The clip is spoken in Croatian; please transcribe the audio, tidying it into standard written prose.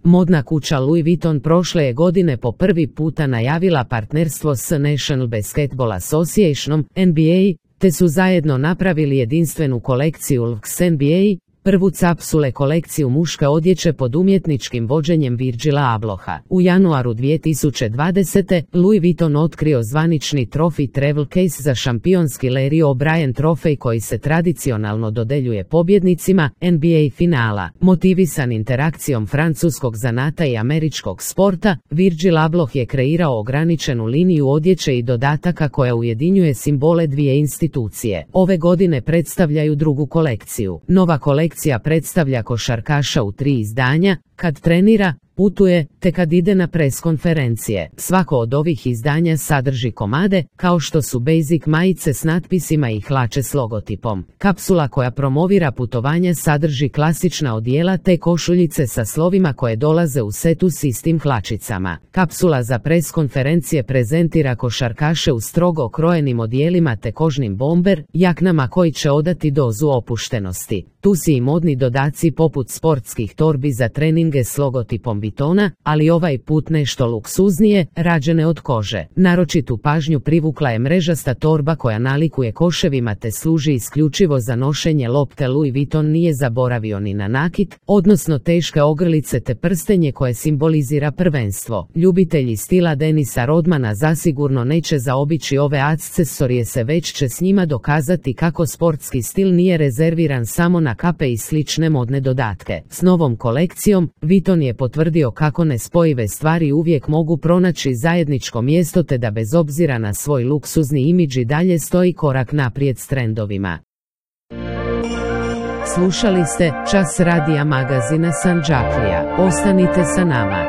Modna kuća Louis Vuitton prošle je godine po prvi puta najavila partnerstvo s National Basketball Associationom, NBA, te su zajedno napravili jedinstvenu kolekciju Lux NBA, prvu capsule kolekciju muške odjeće pod umjetničkim vođenjem Virgila Abloha. U januaru 2020. Louis Vuitton otkrio zvanični Trophy Travel Case za šampionski Larry O'Brien trofej koji se tradicionalno dodeljuje pobjednicima NBA finala. Motivisan interakcijom francuskog zanata i američkog sporta, Virgil Abloh je kreirao ograničenu liniju odjeće i dodataka koja ujedinjuje simbole dvije institucije. Ove godine predstavljaju drugu kolekciju. Nova kolekcija predstavlja košarkaša u 3 izdanja, kad trenira, putuje, te kad ide na pres konferencije. Svako od ovih izdanja sadrži komade, kao što su basic majice s natpisima i hlače s logotipom. Kapsula koja promovira putovanja sadrži klasična odijela te košuljice sa slovima koje dolaze u setu s istim hlačicama. Kapsula za pres konferencije prezentira košarkaše u strogo okrojenim odijelima te kožnim bomber, jaknama koji će odati dozu opuštenosti. Tu si i modni dodaci poput sportskih torbi za treninge s logotipom Vuittona, ali ovaj put nešto luksuznije, rađene od kože. Naročitu pažnju privukla je mrežasta torba koja nalikuje koševima te služi isključivo za nošenje lopte. Louis Vuitton nije zaboravio ni na nakit, odnosno teške ogrlice te prstenje koje simbolizira prvenstvo. Ljubitelji stila Denisa Rodmana zasigurno neće zaobići ove akcesorije, se već će s njima dokazati kako sportski stil nije rezerviran samo na kape i slične modne dodatke. S novom kolekcijom, Vuitton je potvrdio kako nespojive stvari uvijek mogu pronaći zajedničko mjesto te da bez obzira na svoj luksuzni imidž i dalje stoji korak naprijed s trendovima. Slušali ste Čas radija magazina Sandžaklija. Ostanite sa nama.